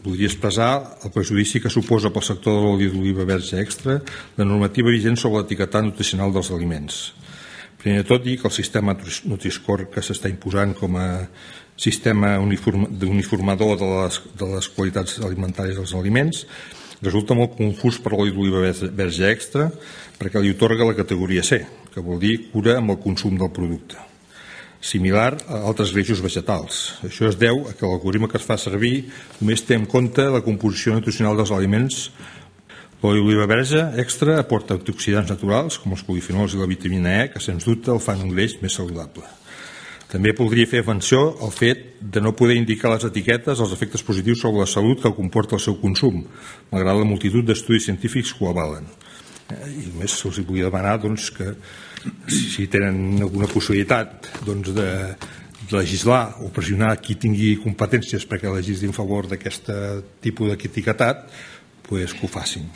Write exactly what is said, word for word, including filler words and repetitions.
voldria expressar el perjudici que suposa pel sector de l'oli d'oliva verge extra la normativa vigent sobre l'etiquetat nutricional dels aliments. Primer de tot, dir que el sistema Nutri-Score que s'està imposant com a sistema uniformador de les, de les qualitats alimentàries dels aliments resulta molt confús per l'oli d'oliva verge extra perquè li otorga la categoria C, que vol dir cura amb el consum del producte, similar a altres greixos vegetals. Això es deu a que l'algoritme que es fa servir només té en compte la composició nutricional dels aliments. L'oli d'oliva verge extra aporta antioxidants naturals com els polifenols i la vitamina E, que sens dubte el fan un greix més saludable. També podria fer menció al fet de no poder indicar les etiquetes els efectes positius sobre la salut que comporta el seu consum, malgrat la multitud d'estudis científics que ho avalen. I només se'ls volia demanar doncs, que si tenen alguna possibilitat doncs, de legislar o pressionar qui tingui competències perquè legislin a favor d'aquest tipus d'etiquetat, pues que ho facin.